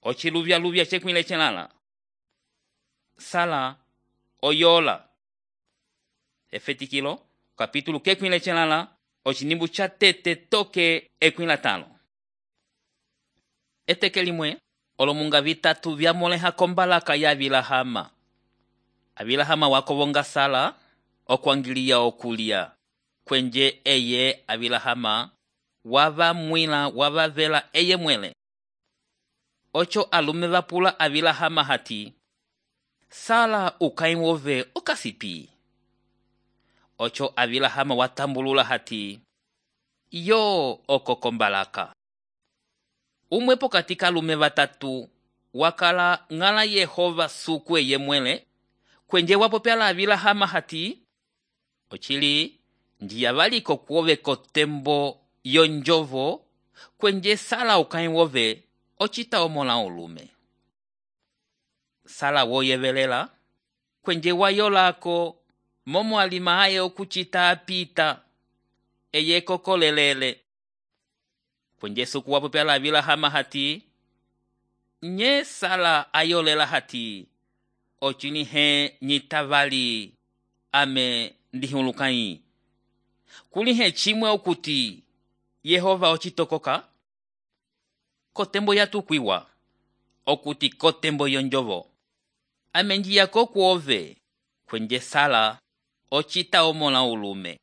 ociluvya cekwile celala. Sala oyola. Efetikilo capítulo kekwile celala ocinimbu ca tete toke ekwila talo. Eteke limwe olomunga vitatu vyamoleha kombalaka ya Abilahama. Abilahama wakovonga Sala okwangilia okulia. Kwenje eye Abilahama wavavela eye mwele. Ocho alume vapula Abilahama hati, Sala ukaimwove okasipi. Ocho Abilahama watambulula hati, yo okokombalaka. Umwepo katika alume vatatu wakala ngala Yehova suku eye mwele. Kwenje wapopela Abilahama hati, ochili ndiyavaliko kuove kotembo yonjovo, kwenje Sala ukaimwove ochita omola olume. Sala woyevelela, kwenje wayolako momo alima aye okuchita apita, eye kokolelele. Kwenje suku wapopela Abilahama hati, nye Sala ayolela hati, ochini he nyitavali ame ndihulukai. Kuli he chimwe okuti Yehova ochitokoka? Kotembo yatukwiwa, okuti kotembo yonjovo. Ame njiyako kuove, kwenje Sala ochita omola ulume.